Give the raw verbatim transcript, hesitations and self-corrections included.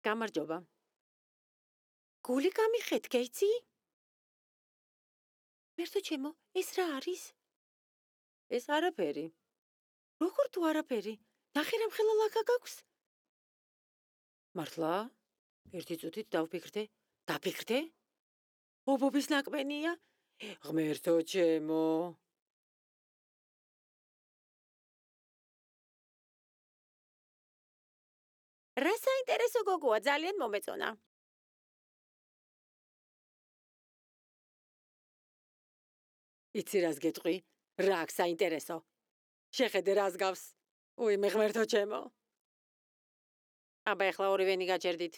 გამარჯობა. გული გამიხეთ, გეიცი? მერტო ჩემო, ეს რა არის? ეს არაფერი. როგორ თუ არაფერი? ნახე რამ ხელა ლაქა გაქვს? მართლა? ერთი წუთით დავფიქრდე. დაფიქრდე? ობობის ნაკბენია? ღმერთო ჩემო. რა საინტერესო გოგოა, ძალიან მომეწონა. იცი რას გეტყვი? რა აქვს საინტერესო? შეხედე რას გავს? უი, მე ღმერთო ჩემო. აბა ეხლა ორივენი გაჭერდით.